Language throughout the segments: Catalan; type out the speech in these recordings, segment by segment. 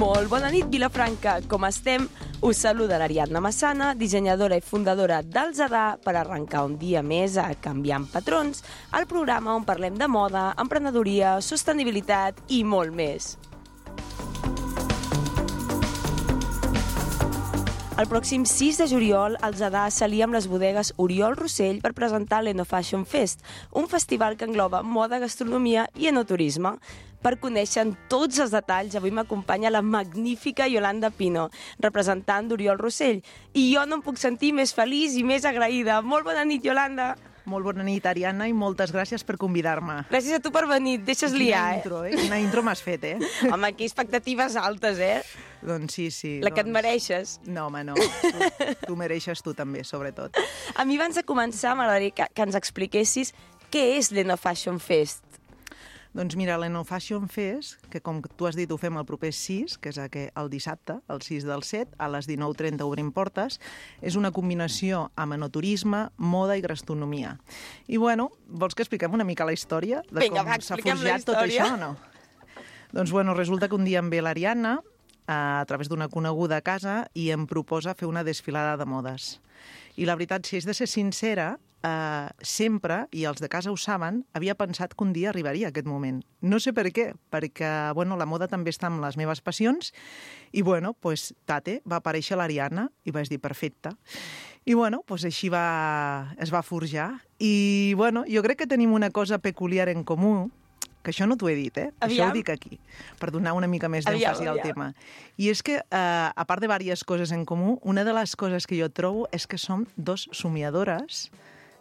Molt bona nit, Vilafranca. Com estem? Us saluda l'Ariadna Massana, dissenyadora i fundadora del Zadar, per arrencar un dia més a Canviant Patrons, el programa on parlem de moda, emprenedoria, sostenibilitat i molt més. El pròxim 6 de juliol, el Zadar s'alia amb les bodegues Oriol Rossell per presentar l'Enofashion Fest, un festival que engloba moda, gastronomia i enoturisme. Per conèixer tots els detalls, avui m'acompanya la magnífica Yolanda Pino, representant d'Oriol Rossell. I jo no em puc sentir més feliç i més agraïda. Molt bona nit, Yolanda. Molt bona nit, Ariadna, i moltes gràcies per convidar-me. Gràcies a tu per venir, deixes liar, Intro, Quina intro m'has fet, Home, aquí expectatives altes, Doncs sí. La que et mereixes. No, home, no. Tu mereixes tu també, sobretot. A mi, abans de començar, m'agradaria que ens expliquessis què és l'Enofashion Fest. Doncs mira, l'Enofashion Fest, que com tu has dit ho fem el proper 6, que és el dissabte, el 6 del 7, a les 19:30 obrim portes, és una combinació amb enoturisme, moda i gastronomia. I bueno, vols que expliquem una mica la història de com s'ha forjat tot això o no? Doncs bueno, resulta que un dia em ve l'Ariadna a través d'una coneguda a casa i em proposa fer una desfilada de modes. I la veritat, si és de ser sincera, sempre, i els de casa ho saben, havia pensat que un dia arribaria aquest moment. No sé per què, perquè la moda també està amb les meves passions i tate, va aparèixer l'Ariadna i vaig dir perfecte. I així es va forjar. I jo crec que tenim una cosa peculiar en comú, que això no t'ho he dit, Això ho dic aquí, per donar una mica més d'èmfasi al tema. I és que, a part de diverses coses en comú, una de les coses que jo trobo és que som dos somiadores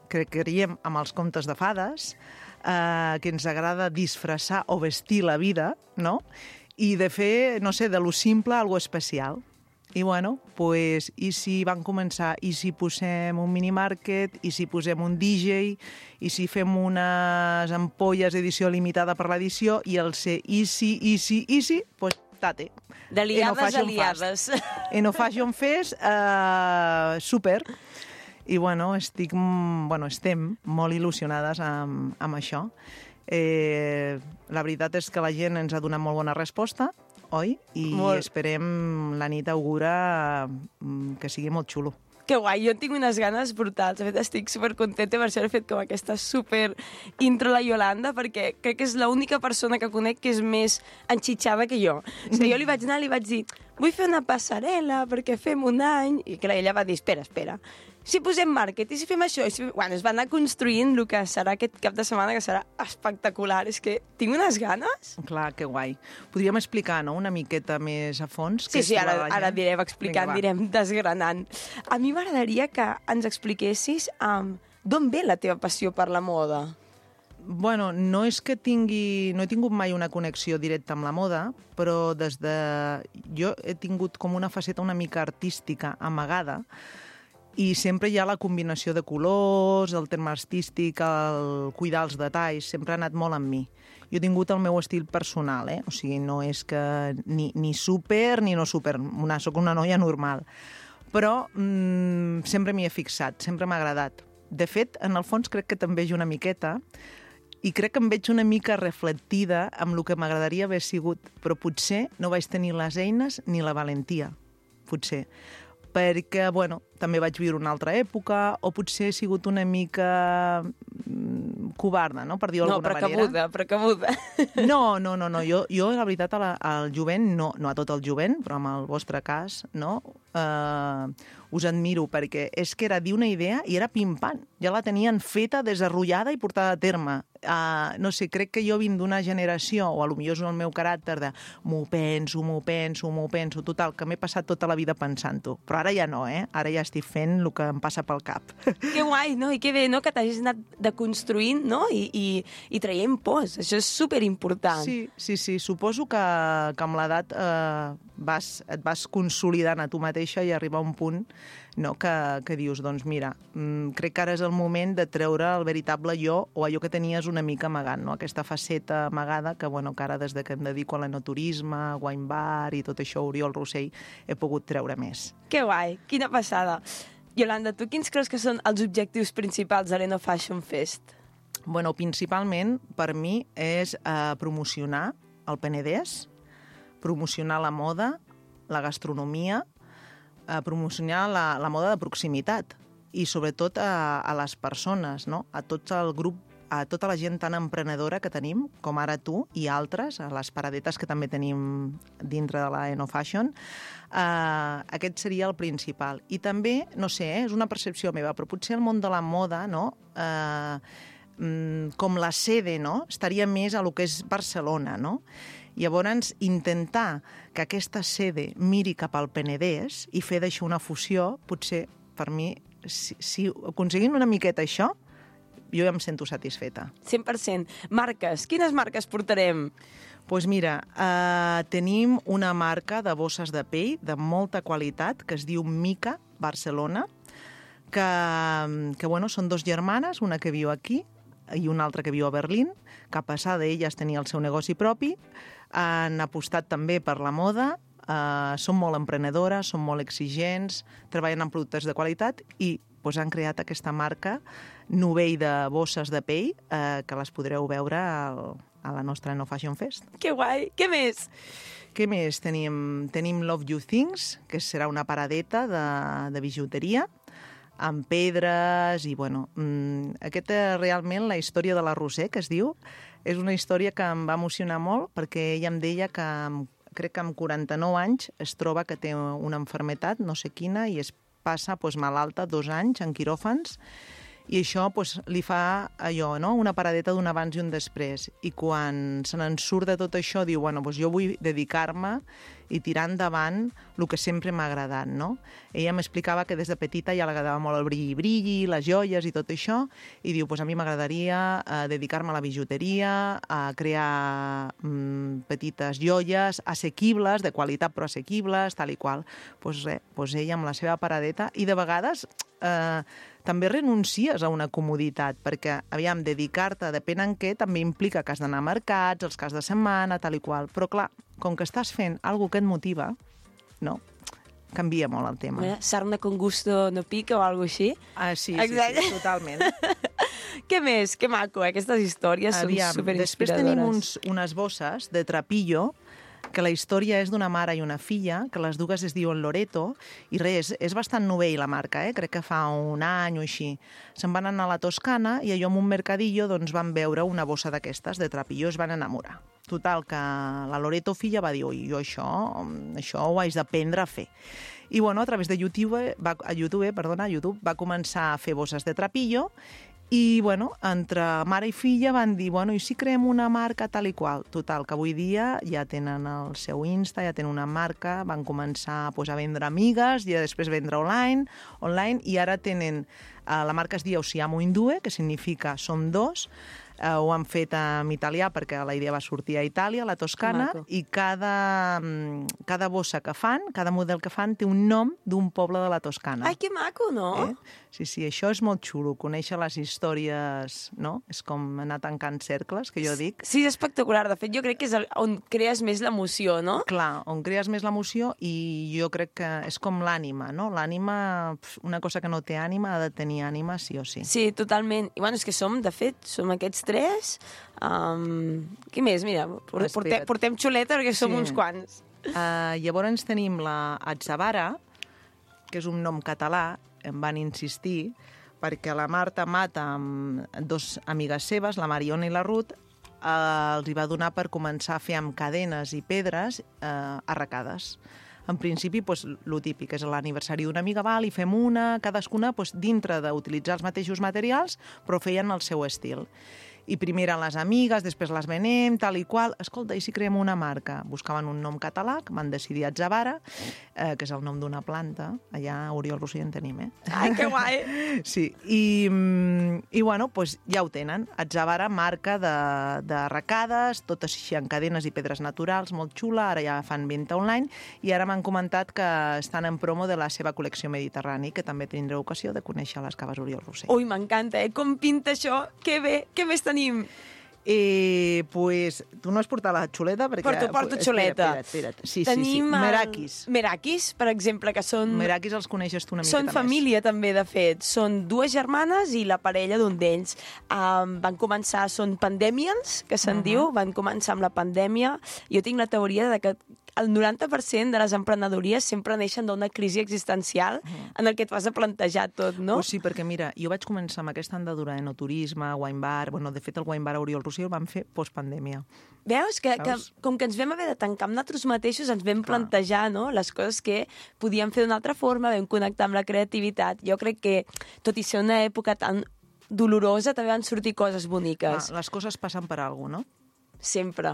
que creiem amb els contes de fades, que ens agrada disfressar o vestir la vida, no? I de fer, no sé, de lo simple algo especial. I i si van començar, i si posem un minimarket, i si posem un DJ, i si fem unes ampolles edició limitada per l'edició, i el ser easy, tate. D'aliades, aliades. Enofashion Fest, super. I estem molt il·lusionades amb això. La veritat és que la gent ens ha donat molt bona resposta, oi? I esperem, la nit augura que sigui molt xulo. Que guai, jo en tinc unes ganes brutals. De fet, estic supercontenta, per això he fet com aquesta super intro a la Yolanda, perquè crec que és l'única persona que conec que és més enxitxada que jo. O sigui, jo li vaig anar i li vaig dir, vull fer una passarel·la perquè fem un any, i clar, ella va dir, espera, si posem màrquet, i si fem això, es va anar construint el que serà aquest cap de setmana, que serà espectacular. És que tinc unes ganes. Clar, que guai. Podríem explicar, no?, una miqueta més a fons? Sí, ara anirem explicant, anirem desgranant. A mi m'agradaria que ens expliquessis d'on ve la teva passió per la moda. No és que no he tingut mai una connexió directa amb la moda, però jo he tingut com una faceta una mica artística amagada, i sempre hi ha la combinació de colors, el terme artístic, el cuidar els detalls, sempre ha anat molt amb mi. Jo he tingut el meu estil personal, O sigui, no és que ni super ni no super, soc una noia normal. Però sempre m'hi he fixat, sempre m'ha agradat. De fet, en el fons crec que també veig una miqueta, i crec que em veig una mica reflectida amb el que m'agradaria haver sigut, però potser no vaig tenir les eines ni la valentia, potser. Perquè, també vaig viure una altra època, o potser he sigut una mica covarda, no?, per dir-ho d'alguna manera. Precabuda. No, jo la veritat, al jovent, no a tot el jovent, però en el vostre cas, no, us admiro, perquè és que era dir una idea i era pim-pam. Ja la tenien feta, desarrollada i portada a terme. No sé, crec que jo vinc d'una generació, o potser és el meu caràcter de m'ho penso, total, que m'he passat tota la vida pensant-ho. Però ara ja no, Ara ja estic fent el que em passa pel cap. Que guai, no? I que bé, no?, que t'hagis anat deconstruint, no?, i traient pors. Això és superimportant. Sí. Suposo que amb l'edat et vas consolidant a tu mateixa i arribar a un punt, no, que dius, doncs mira, crec que ara és el moment de treure el veritable jo, o allò que tenies una mica amagant, no? Aquesta faceta amagada que ara des que em dedico a l'enoturisme, wine bar i tot això, Oriol Rossell, he pogut treure més. Que guai, quina passada. Yolanda, tu quins creus que són els objectius principals de l'Enofashion Fest? Principalment, per mi, és promocionar el Penedès, promocionar la moda, la gastronomia, promocionar la moda de proximitat i sobretot a les persones, no? A tot el grup, a tota la gent tan emprenedora que tenim, com ara tu i altres, a les paradetes que també tenim dintre de la Enofashion. Aquest seria el principal. I també, no sé, és una percepció meva, però potser el món de la moda, no? Com la sede, no? Estaria més a lo que és Barcelona, no? Llavors, intentar que aquesta sede miri cap al Penedès i fer d'això una fusió, potser, per mi, si aconseguim una miqueta això, jo ja em sento satisfeta. 100%. Marques. Quines marques portarem? Doncs mira, tenim una marca de bosses de pell de molta qualitat que es diu Mica Barcelona, que bueno, són dos germanes, una que viu aquí i una altra que viu a Berlín, que a passar d'elles tenia el seu negoci propi, han apostat també per la moda, són molt emprenedores, són molt exigents, treballen en productes de qualitat i han creat aquesta marca novell de bosses de pell que les podreu veure a la nostra Enofashion Fest. Que guai! Què més? Què més? Tenim Love You Things, que serà una paradeta de bijuteria, amb pedres i, bueno, aquesta realment, la història de la Roser, que es diu, és una història que em va emocionar molt perquè ella em deia que crec que amb 49 anys es troba que té una malaltia, no sé quina, i es passa malalta 2 anys en quiròfans i això li fa allò, no? Una paradeta d'un abans i un després. I quan se n'en surt de tot això, diu, bueno, jo vull dedicar-me i tirar endavant el que sempre m'ha agradat, no? Ella m'explicava que des de petita ja li agradava molt el brilli, les joies i tot això, i diu, a mi m'agradaria dedicar-me a la bijuteria, a crear petites joies assequibles, de qualitat però assequibles, tal i qual. Ella amb la seva paradeta, i de vegades també renuncies a una comoditat, perquè, aviam, dedicar-te, depèn en què, també implica que has d'anar a mercats, els caps de setmana, tal i qual. Però, clar, com que estàs fent alguna que et motiva, no? Canvia molt el tema. Sarna con gusto no pica o alguna cosa així? Sí, totalment. Què més? Que maco, aquestes històries són superinspiradores. Després tenim unes bosses de trapillo, que la història és d'una mare i una filla, que les dues es diuen Loreto, i res, és bastant novell la marca, crec que fa un any o així. Se'n van anar a la Toscana i allò en un mercadillo van veure una bossa d'aquestes, de trapillo, es van enamorar. Total, que la Loreto filla va dir, jo això ho haig d'aprendre a fer. I bueno, a través de YouTube va començar a fer bosses de trapillo. I, bueno, entre mare i filla van dir, i si creem una marca tal i qual? Total, que avui dia ja tenen el seu Insta, ja tenen una marca, van començar a vendre amigues i després vendre online, i ara tenen, la marca es diu Siamo Indue, que significa som dos, ho han fet en italià perquè la idea va sortir a Itàlia, a la Toscana, i cada bossa que fan, cada model que fan, té un nom d'un poble de la Toscana. Ai, que maco, no? Sí, això és molt xulo, conèixer les històries, no? És com anar tancant cercles, que jo dic. Sí, és espectacular. De fet, jo crec que és on crees més l'emoció, no? Clar, on crees més l'emoció, i jo crec que és com l'ànima, no? L'ànima, una cosa que no té ànima, ha de tenir ànima sí o sí. Sí, totalment. I bueno, és que som aquests 3. Què més? Mira, portem xuleta perquè som uns quants. Llavors tenim la Atzavara, que és un nom català, em van insistir, perquè la Marta Mata, amb 2 amigues seves, la Mariona i la Ruth, els hi va donar per començar a fer amb cadenes i pedres arracades. En principi, el típic, és l'aniversari d'una amiga, i fem una, cadascuna dintre d'utilitzar els mateixos materials, però feien el seu estil. I primer eren les amigues, després les venem, tal i qual. Escolta, i si creem una marca? Buscaven un nom català, que van decidir Atzavara, que és el nom d'una planta. Allà a Oriol Rossell en tenim, Ai, que guai! Sí, i bueno, ja ho tenen. Atzavara, marca d'arracades, totes així en cadenes i pedres naturals, molt xula, ara ja fan venda online, i ara m'han comentat que estan en promo de la seva col·lecció mediterrani, que també tindreu ocasió de conèixer a les caves Oriol Rossell. Ui, m'encanta, Com pinta això? Que bé! Què més tenim? Tu no has portat la xuleta? Porto xuleta. Espera't. Sí. Tenim Merakis, per exemple, que són... Merakis els coneixes tu una miqueta més. Són família, també, de fet. Són 2 germanes i la parella d'un d'ells. Van començar, són pandemians, que se'n diu, van començar amb la pandèmia. Jo tinc la teoria de que el 90% de les emprenedories sempre neixen d'una crisi existencial en el que et vas a plantejar tot, no? Pues sí, perquè mira, jo vaig començar amb aquesta andadura en enoturisme, wine bar, bueno, de fet el wine bar Oriol Rossell el vam fer postpandèmia. Veus? Que com que ens vam haver de tancar amb nosaltres mateixos, ens vam plantejar, no?, les coses que podíem fer d'una altra forma, vam connectar amb la creativitat. Jo crec que, tot i ser una època tan dolorosa, també van sortir coses boniques. Les coses passen per alguna cosa, no? Sempre.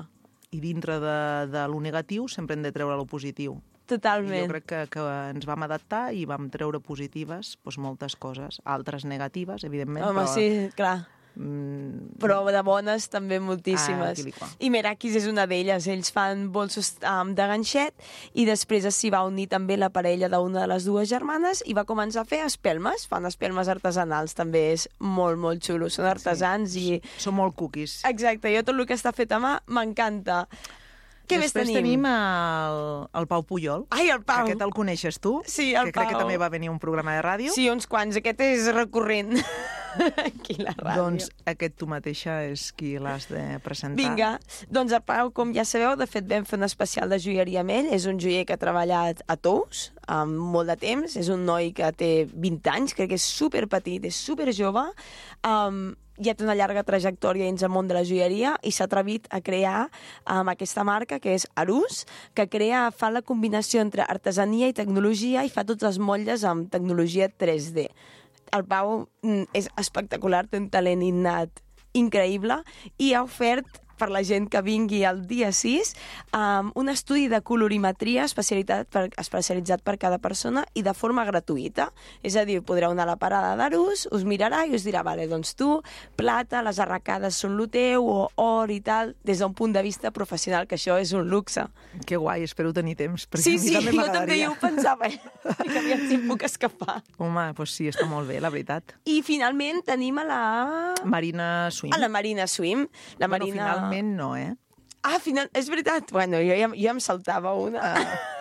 I dintre de lo negatiu sempre hem de treure lo positiu. Totalment. I jo crec que ens vam adaptar i vam treure positives moltes coses, altres negatives, evidentment. Home, sí, clar. Però de bones també moltíssimes. I Merakis és una d'elles. Ells fan bolsos de ganxet i després s'hi va unir també la parella d'una de les dues germanes i va començar a fer espelmes. Fan espelmes artesanals, també és molt, molt xulo. Són artesans i... Són molt cookies. Exacte, jo tot el que està fet a mà m'encanta. Què més tenim? Després tenim el Pau Pujol. Ai, el Pau! Aquest el coneixes tu? Sí, el Pau. Que crec que també va venir a un programa de ràdio. Sí, uns quants. Aquest és recurrent. Aquí la ràdio. Doncs aquest tu mateixa és qui l'has de presentar. Vinga, doncs el Pau, com ja sabeu, de fet vam fer un especial de joieria amb ell. És un joier que ha treballat a Tous molt de temps. És un noi que té 20 anys, crec que és superpetit, és superjove. Ja té una llarga trajectòria dins el món de la joieria i s'ha atrevit a crear aquesta marca, que és Arús, que fa la combinació entre artesania i tecnologia i fa tots els motlles amb tecnologia 3D. El Pau és espectacular, té un talent innat increïble i ha ofert per la gent que vingui el dia 6 un estudi de colorimetria especialitzat per cada persona i de forma gratuïta. És a dir, podreu anar a la parada d'Arús, us mirarà i us dirà, vale, doncs tu, plata, les arracades són lo teu, o or i tal, des d'un punt de vista professional, que això és un luxe. Que guai, espero tenir temps, perquè sí, a mi també m'agradaria. Jo també ho pensava, que aviat si em puc escapar. Home, doncs sí, està molt bé, la veritat. I finalment tenim a la... Marina Swim. A la Marina Swim. La Marina... Finalment no, eh? És veritat. Bueno, jo em saltava una.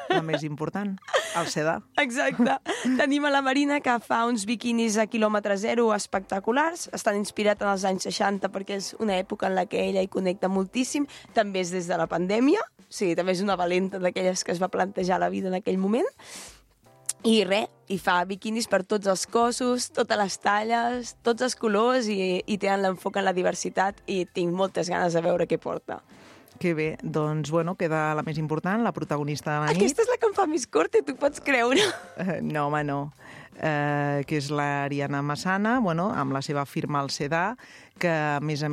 La més important, el sedà. Exacte. Tenim a la Marina, que fa uns biquinis a quilòmetre zero espectaculars. Estan inspirats en els anys 60 perquè és una època en la que ella hi connecta moltíssim. També és des de la pandèmia. O sigui, també és una valenta d'aquelles que es va plantejar la vida en aquell moment. I i fa biquinis per tots els cossos, totes les talles, tots els colors i tenen l'enfoc en la diversitat i tinc moltes ganes de veure què porta. Que bé, doncs, bueno, queda la més important, la protagonista de la nit. Aquesta és la que em fa més corta, tu pots creure. No, home, no. Que és l'Ariana Massana, bueno, amb la seva firma al Sedà, que, a més,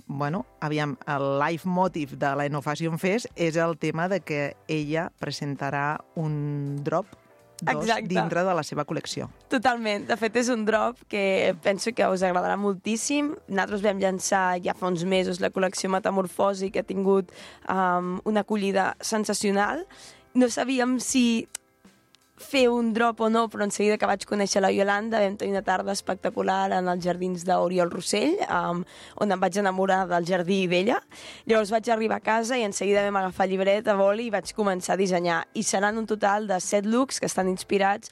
bueno, aviam, el leitmotiv de l'Enofashion Fest és el tema de que ella presentarà un drop dintre de la seva col·lecció. Totalment. De fet, és un drop que penso que us agradarà moltíssim. Nosaltres vam llançar ja fa uns mesos la col·lecció Metamorfosi, que ha tingut una acollida sensacional. No sabíem si fer un drop o no, però en seguida que vaig conèixer la Iolanda vam tenir una tarda espectacular en els jardins d'Oriol Rossell, on em vaig enamorar del jardí d'ella. Llavors vaig arribar a casa i en seguida vam agafar llibret a boli i vaig començar a dissenyar. I seran un total de 7 looks que estan inspirats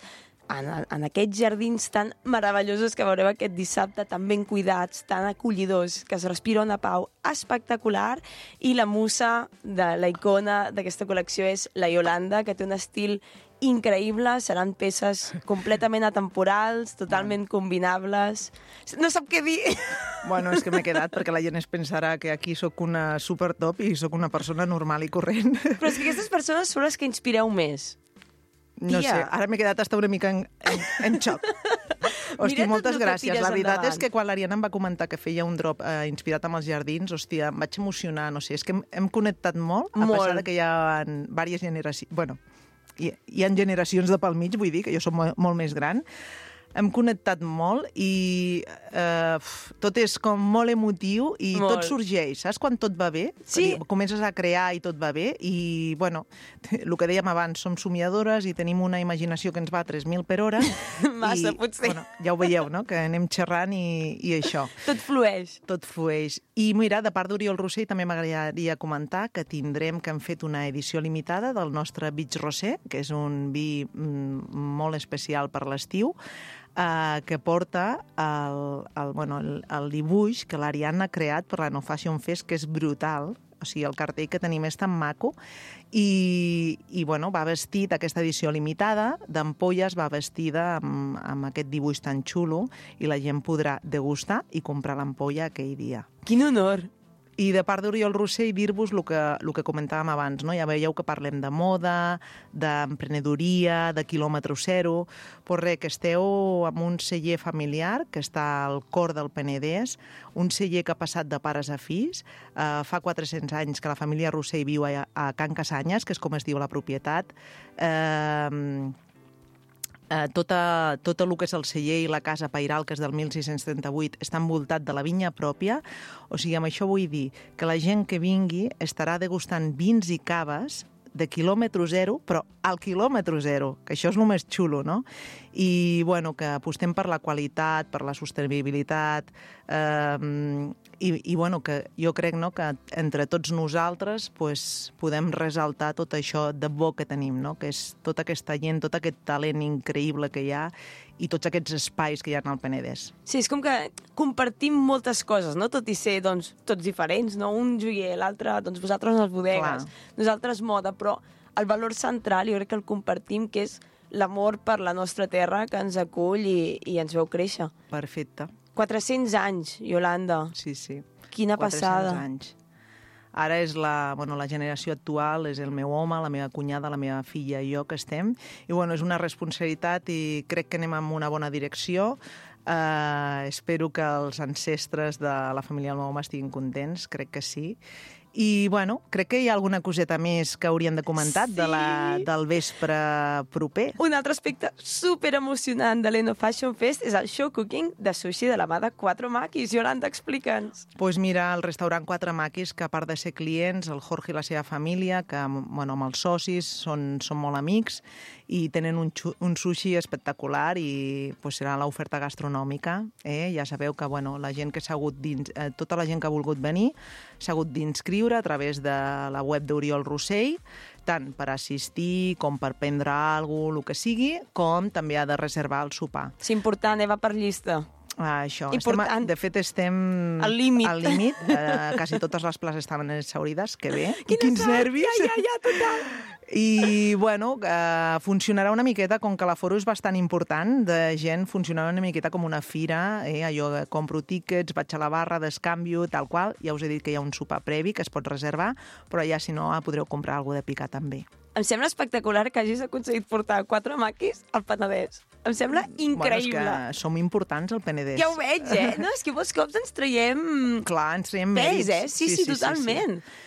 en aquests jardins tan meravellosos que veureu aquest dissabte, tan ben cuidats, tan acollidors, que es respira una pau espectacular. I la musa de la icona d'aquesta col·lecció és la Iolanda, que té un estil increïble, seran peces completament atemporals, totalment combinables. No sap què dir. Bueno, és que m'he quedat perquè la gent es pensarà que aquí sóc una supertop i sóc una persona normal i corrent. Però és que aquestes persones són les que inspireu més. No sé, ara m'he quedat hasta una mica en xoc. Hòstia, moltes gràcies. La veritat és que quan l'Ariana em va comentar que feia un drop inspirat amb els jardins, hòstia, em vaig emocionar, no sé, és que hem connectat molt, a pesar que hi ha diverses generacions... Bueno, hi ha generacions de pel mig, vull dir, que jo soc molt més gran. Hem connectat molt i tot és com molt emotiu i tot sorgeix. Saps quan tot va bé? Sí. Comences a crear i tot va bé i, bueno, el que dèiem abans, som somiadores i tenim una imaginació que ens va a 3.000 per hora. Massa, potser. Bueno, ja ho veieu, no?, que anem xerrant i això. Tot flueix. Tot flueix. I mira, de part d'Oriol Rossell també m'agradaria comentar que hem fet una edició limitada del nostre Beach Rosé, que és un vi molt especial per l'estiu, que porta el dibuix que l'Ariana ha creat per l'Enofashion Fest, que és brutal. O sigui, el cartell que tenim és tan maco i bueno, va vestit, aquesta edició limitada d'ampolles va vestida amb aquest dibuix tan xulo i la gent podrà degustar i comprar l'ampolla aquell dia. Quin honor! I de part d'Oriol Rossell dir-vos el que comentàvem abans, no? Ja veieu que parlem de moda, d'emprenedoria, de quilòmetre zero, però res, que esteu amb un celler familiar que està al cor del Penedès, un celler que ha passat de pares a fills. Fa 400 anys que la família Rossell viu a Can Casanyes, que és com es diu la propietat. Tot el que és el celler i la casa pairal, que és del 1638, està envoltat de la vinya pròpia. O sigui, amb això vull dir que la gent que vingui estarà degustant vins i caves de quilòmetre zero, però al quilòmetre zero, que això és el més xulo, no? I, bueno, que apostem per la qualitat, per la sostenibilitat, i bueno, que jo crec, no?, que entre tots nosaltres pues, podem resaltar tot això de bo que tenim, no?, que és tota aquesta gent, tot aquest talent increïble que hi ha i tots aquests espais que hi ha al Penedès. Sí, és com que compartim moltes coses, no?, tot i ser, doncs, tots diferents, no? Un joier, l'altre, doncs, vosaltres les bodegues, nosaltres moda, però el valor central jo crec que el compartim, que és l'amor per la nostra terra que ens acull i ens veu créixer. Perfecte. 400 anys, Iolanda. Sí, sí. Quina passada. 400 anys. Ara és la generació actual, és el meu home, la meva cunyada, la meva filla i jo que estem. I bueno, és una responsabilitat i crec que anem en una bona direcció. Espero que els ancestres de la família del meu home estiguin contents, crec que sí. I, bueno, crec que hi ha alguna coseta més que hauríem de comentar del vespre proper. Un altre aspecte super emocionant de l'Eno Fashion Fest és el show cooking de sushi de la mà de Quatre Maquis. Iolanda, explica'ns. Doncs mira, el restaurant Quatre Maquis, que a part de ser clients, el Jorge i la seva família, que bueno, amb els socis són molt amics i tenen un sushi espectacular i pues, serà l'oferta gastronòmica. Ja sabeu que bueno, la gent que s'ha hagut tota la gent que ha volgut venir s'ha hagut d'inscriure a través de la web d'Oriol Rossell, tant per assistir com per prendre alguna cosa, el que sigui, com també ha de reservar el sopar. És important, va per llista. Això. De fet, estem al límit. Quasi totes les places estaven exhaurides, que bé. Quins nervis! Ja, total! I, bueno, funcionarà una miqueta, com que l'aforo és bastant important, de gent, funcionarà una miqueta com una fira, allò que compro tíquets, vaig a la barra, descanvio, tal qual. Ja us he dit que hi ha un sopar previ que es pot reservar, però ja, si no, podreu comprar alguna de picar també. Em sembla espectacular que hagis aconseguit portar Quatre Maquis al Penedès. Em sembla increïble. Bueno, és que som importants al Penedès. Ja ho veig, No, és que molts cops ens traiem... Clar, ens traiem mèrits. Sí, totalment. Sí.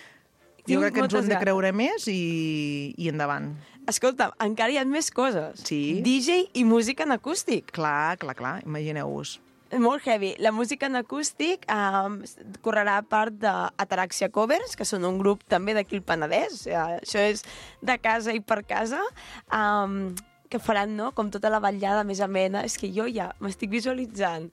Jo crec que ens ho hem de creure més i endavant. Escolta, encara hi ha més coses. Sí. DJ i música en acústic. Clar, imagineu-vos. Molt heavy. La música en acústic correrà a part d'Ataraxia Covers, que són un grup també d'aquí al Penedès. Això és de casa i per casa. Que faran, no?, com tota la vetllada més amena. És que jo ja m'estic visualitzant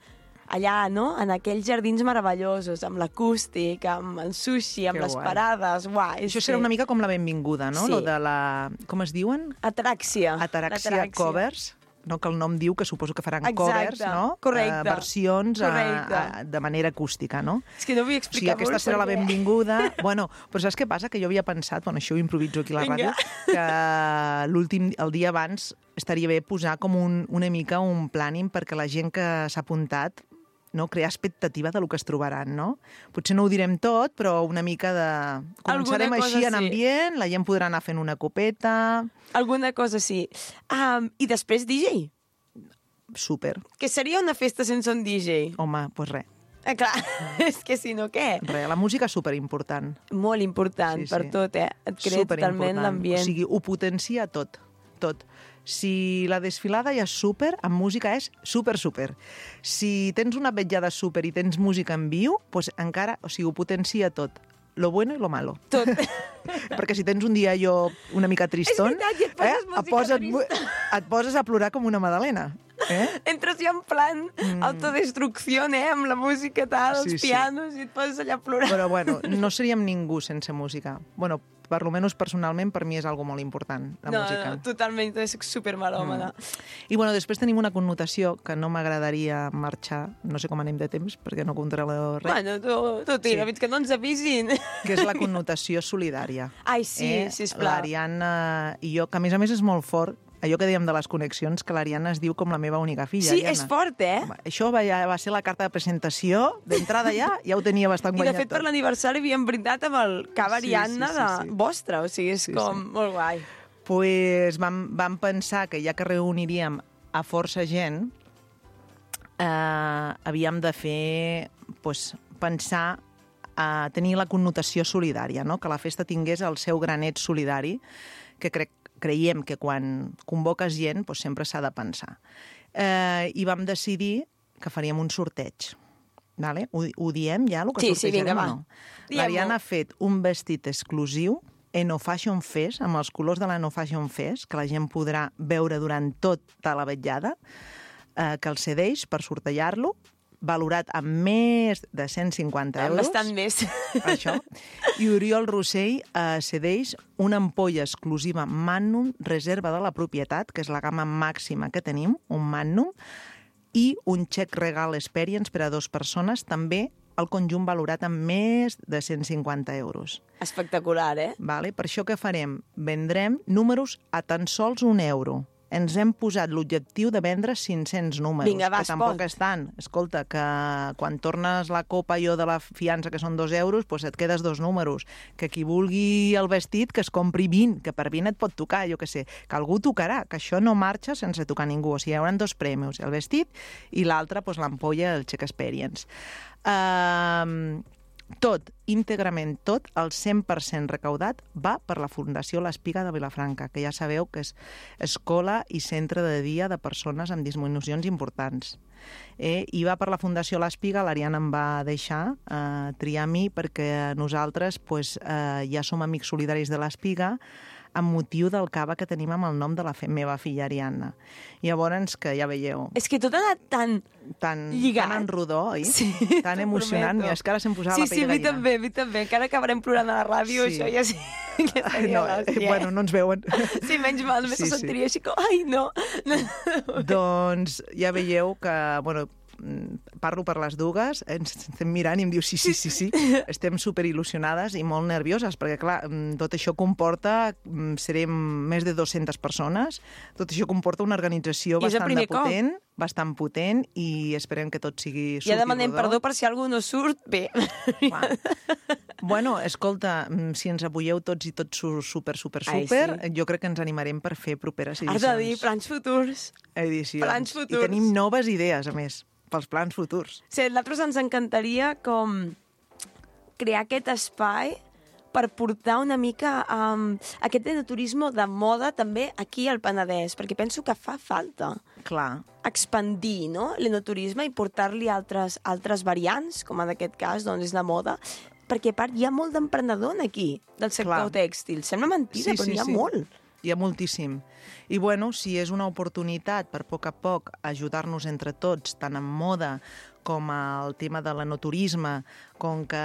allà, no?, en aquells jardins meravellosos, amb l'acústic, amb el sushi, amb les parades. Això serà una mica com la benvinguda, no? Sí. Lo de la... Com es diuen? Ataraxia. Ataraxia Covers. No, que el nom diu que suposo que faran covers, no? Correcte. Versions de manera acústica, no? És que no vull explicar molt. O sigui, aquesta serà la benvinguda. Bueno, però saps què passa? Que jo havia pensat, bueno, això ho improviso aquí a la ràdio, que el dia abans estaria bé posar com una mica un planning perquè la gent que s'ha apuntat crear expectativa del que es trobaran, no? Potser no ho direm tot, però una mica de... Començarem així en ambient, la gent podrà anar fent una copeta... Alguna cosa sí. I després DJ? Súper. Que seria una festa sense un DJ? Home, doncs res. Clar, és que si no, què? Res, la música és superimportant. Molt important, per tot, Et crea totalment l'ambient. O sigui, ho potencia tot. Si la desfilada ja és súper, amb música és súper. Si tens una vetllada súper i tens música en viu, doncs encara, o sigui, ho potencia tot. Lo bueno i lo malo. Tot. Perquè si tens un dia una mica triston, és veritat, et poses a plorar com una magdalena. Entres ja en plan autodestrucció, amb la música tal, els pianos, i et poses allà a plorar. Però bueno, no seríem ningú sense música. Bueno, per almenys personalment, per mi és algo molt important, la música. No, totalment, és supermelòmana. I bueno, després tenim una connotació que no m'agradaria marxar, no sé com anem de temps, perquè no controlo res. Bueno, tu tira, fins que no ens avisin. Que és la connotació solidària. Ai, sí, sisplau. L'Ariadna i jo, que a més és molt fort, allò que dèiem de les connexions, que l'Ariadna es diu com la meva única filla. Sí, Ariadna. és fort, Això va ser la carta de presentació, d'entrada ja ho tenia bastant guanyat. I de fet per l'aniversari havíem brindat amb el cava Ariadna vostre, o sigui, és com molt guai. Pues vam pensar que ja que reuniríem a força gent, havíem de fer, pensar a tenir la connotació solidària, no? Que la festa tingués el seu granet solidari, que creiem que quan convoques gent sempre s'ha de pensar. I vam decidir que faríem un sorteig. Vale? Ho diem ja, el que sortejarem o no? L'Ariadna ha fet un vestit exclusiu Eno Fashion Fest, amb els colors de la Eno Fashion Fest, que la gent podrà veure durant tota la vetllada, que el cedeix per sortejar-lo, valorat amb més de 150 euros. Bastant més. Això. I Oriol Rossell cedeix una ampolla exclusiva Magnum, reserva de la propietat, que és la gamma màxima que tenim, un Magnum, i un Check Regal Experience per a 2 persones, també el conjunt valorat amb més de 150 euros. Espectacular, Vale? Per això què farem? Vendrem números a tan sols €1. Ens hem posat l'objectiu de vendre 500 números. Vinga, va, que tampoc és tant. Escolta, que quan tornes la copa de la fiança, que són €2, et quedes 2 números. Que qui vulgui el vestit, que es compri 20, que per 20 et pot tocar, jo què sé. Que algú tocarà, que això no marxa sense tocar ningú. O sigui, hi haurà 2 premis, el vestit i l'altre, l'ampolla, el Check Experience. Tot, íntegrament tot, el 100% recaudat va per la Fundació l'Espiga de Vilafranca, que ja sabeu que és escola i centre de dia de persones amb disminucions importants. I va per la Fundació l'Espiga, l'Ariadna em va deixar triar a mi, perquè nosaltres ja som amics solidaris de l'Espiga, amb motiu del cava que tenim amb el nom de la meva filla Ariadna. Llavors, que ja veieu... És que tot ha anat tan lligat. Tan en rodó, oi? Sí, tan emocionant. Mira, és que ara se'm posava la pell de gallina. Sí, a mi també. Encara acabarem plorant a la ràdio, això ja sí. Bueno, no ens veuen. Sí, menys mal, només se sentiria així com... Ai, no! Doncs ja veieu que, parlo per les dues, ens estem mirant i em diu sí, estem superil·lusionades i molt nervioses, perquè clar, tot això comporta, serem més de 200 persones, tot això comporta una organització bastant potent i esperem que tot sigui ja demanem perdó per si algú no surt bé. Bueno, escolta, si ens apoyeu tots i tots super, jo crec que ens animarem per fer properes edicions. Has de dir plans futurs. Edicions. I tenim noves idees, a més, pels plans futurs. Sí, a nosaltres ens encantaria com crear aquest espai per portar una mica aquest enoturisme de moda també aquí al Penedès, perquè penso que fa falta expandir l'enoturisme i portar-li altres variants, com en aquest cas és la moda, perquè a part hi ha molt d'emprenedor aquí, del sector tèxtil. Sembla mentida, però n'hi ha molt. Hi ha moltíssim. I bueno, si és una oportunitat per a poc ajudar-nos entre tots, tant en moda com el tema de l'enoturisme, com que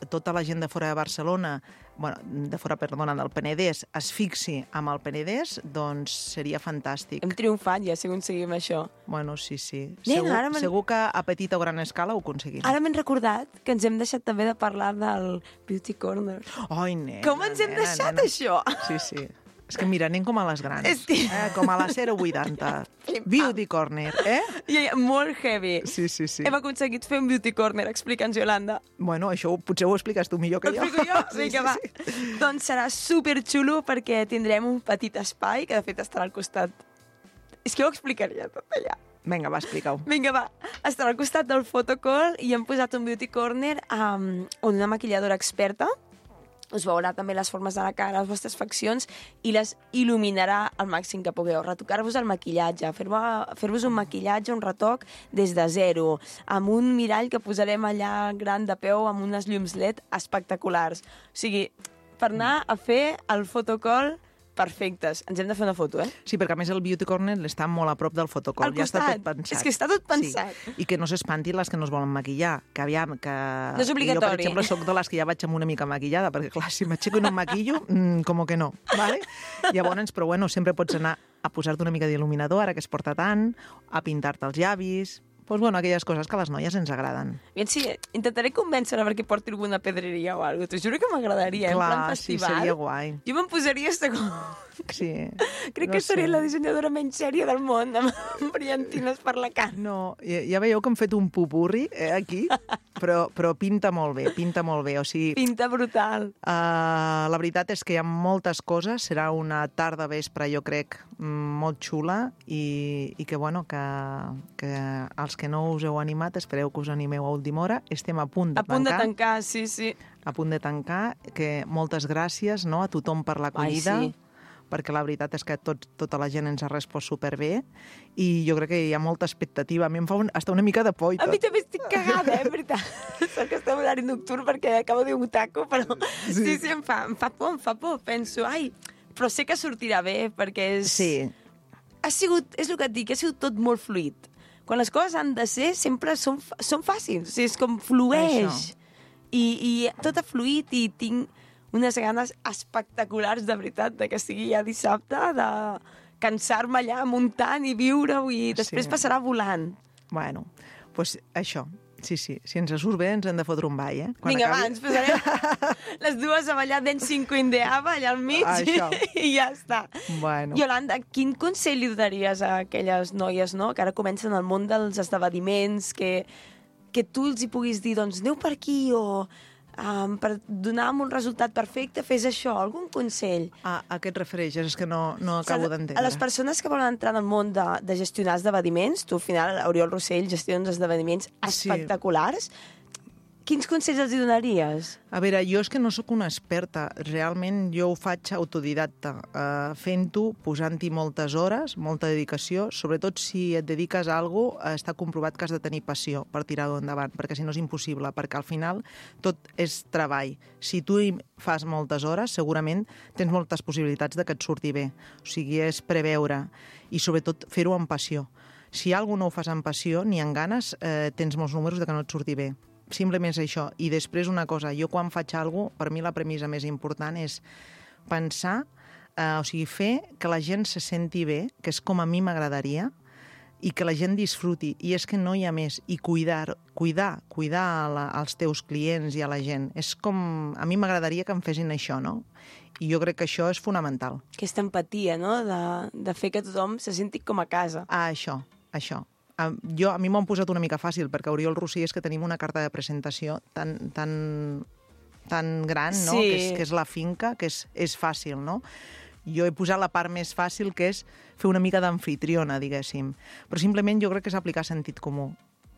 tota la gent de fora de Barcelona, del Penedès, es fixi amb el Penedès, doncs seria fantàstic. Hem triomfat ja, si aconseguim això. Bueno, sí. Segur que a petita o gran escala ho aconseguim. Ara m'he recordat que ens hem deixat també de parlar del Beauty Corner. Ai, nena. Com ens hem deixat això? Sí. És que mira, anem com a les grans. Com a la 080. Beauty Corner, Molt heavy. Sí. Hem aconseguit fer un Beauty Corner. Explica'ns, Yolanda. Bueno, això potser ho expliques tu millor que jo. Explico jo? Vinga, va. Doncs serà superxulo perquè tindrem un petit espai, que de fet estarà al costat... És que ho explicaria tot allà. Vinga, va, explica-ho. Vinga, va. Estarà al costat del photocall i hem posat un Beauty Corner on una maquilladora experta us veurà també les formes de la cara, les vostres faccions, i les il·luminarà al màxim que pugueu. Retocar-vos el maquillatge, fer-vos un maquillatge, un retoc des de zero, amb un mirall que posarem allà gran de peu, amb unes llums LED espectaculars. O sigui, per anar a fer el photocall perfectes. Ens hem de fer una foto, Sí, perquè a més el Beauty Corner està molt a prop del fotocol. Al costat. Ja està tot pensat. És que està tot pensat. Sí. I que no s'espantin les que no es volen maquillar. Que aviam, que... No és obligatori. Jo, per exemple, soc de les que ja vaig amb una mica maquillada, perquè, clar, si m'aixeco i no em maquillo, com que no, ¿vale? Llavors, però bueno, sempre pots anar a posar-te una mica d'il·luminador, ara que es porta tant, a pintar-te els llavis... Doncs, bueno, aquelles coses que a les noies ens agraden. Sí, intentaré convèncer-la perquè porti alguna pedreria o alguna cosa. T'ho juro que m'agradaria, en plan festival. Sí, seria guai. Jo me'n posaria Sí. Crec que seré la dissenyadora menys sèria del món, amb brillantines per la cara. No, ja veieu que hem fet un pupurri aquí, però pinta molt bé, o sigui... Pinta brutal. La veritat és que hi ha moltes coses, serà una tarda vespre, jo crec, molt xula, i que, bueno, que els que no us heu animat, espereu que us animeu a última hora, estem a punt de tancar. A punt de tancar, sí. A punt de tancar, que moltes gràcies, no?, a tothom per l'acollida. Ai, sí. Perquè la veritat és que tota la gent ens ha respost superbé i jo crec que hi ha molta expectativa. A mi em fa hasta una mica de por i tot. A mi també estic cagada, en veritat. Sort que estem en horari nocturn perquè acabo de dir un taco, però sí, em fa por. Penso, però sé que sortirà bé perquè és... Sí. És el que et dic, ha sigut tot molt fluid. Quan les coses han de ser, sempre són fàcils. O sigui, és com flueix. I tot ha fluït i tinc unes ganes espectaculars, de veritat, de que sigui ja dissabte, de cansar-me allà muntant i viure-ho i després passarà volant. Bueno, doncs això. Sí, si ens surt bé ens hem de fotre un ball, Vinga, va, ens posarem les dues a ballar Ben 5 Indeava allà al mig i ja està. Bueno. Iolanda, quin consell li donaries a aquelles noies, no?, que ara comencen el món dels esdeveniments, que tu els hi puguis dir, doncs, aneu per aquí o... per donar un resultat perfecte, fes això, algun consell? A què et refereixes? És que no acabo d'entendre. A les persones que volen entrar en el món de gestionar esdeveniments, tu al final, Oriol Rossell, gestions esdeveniments espectaculars, quins consells els donaries? A veure, jo és que no sóc una experta. Realment jo ho faig autodidacta, fent-ho, posant-hi moltes hores, molta dedicació. Sobretot si et dediques a alguna cosa, està comprovat que has de tenir passió per tirar-ho endavant, perquè si no és impossible, perquè al final tot és treball. Si tu hi fas moltes hores, segurament tens moltes possibilitats de que et surti bé. O sigui, és preveure i sobretot fer-ho amb passió. Si alguna cosa no ho fas amb passió ni amb ganes, tens molts números de que no et surti bé. Simplement és això. I després una cosa, jo quan faig alguna cosa, per mi la premissa més important és pensar, o sigui, fer que la gent se senti bé, que és com a mi m'agradaria, i que la gent disfruti. I és que no hi ha més. I cuidar als teus clients i a la gent. És com... A mi m'agradaria que em fessin això, no? I jo crec que això és fonamental. Aquesta empatia, no?, de fer que tothom se senti com a casa. Això. A mi m'ho han posat una mica fàcil, perquè Oriol Rossell és que tenim una carta de presentació tan gran, no? Sí. Que és la finca, que és fàcil, no? Jo he posat la part més fàcil, que és fer una mica d'amfitriona, diguéssim. Però simplement jo crec que és aplicar sentit comú.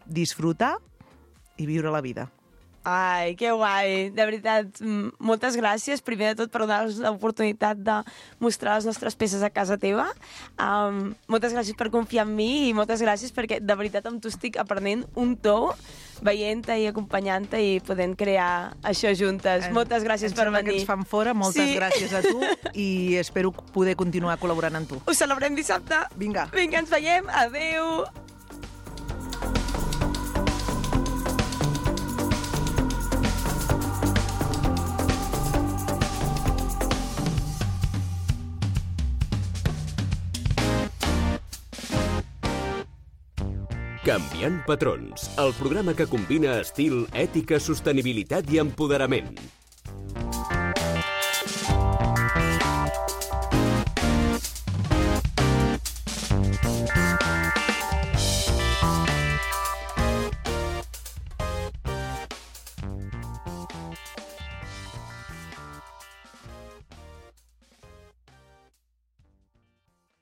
Disfrutar i viure la vida. Ai, que guai. De veritat, moltes gràcies, primer de tot, per donar-nos l'oportunitat de mostrar les nostres peces a casa teva. Moltes gràcies per confiar en mi i moltes gràcies perquè, de veritat, amb tu estic aprenent un to, veient-te i acompanyant-te i podent crear això juntes. Moltes gràcies per venir. Que ens fan fora, moltes gràcies a tu i espero poder continuar col·laborant amb tu. Ho celebrem dissabte. Vinga, ens veiem. Adéu. Canviant patrons, el programa que combina estil, ètica, sostenibilitat i empoderament.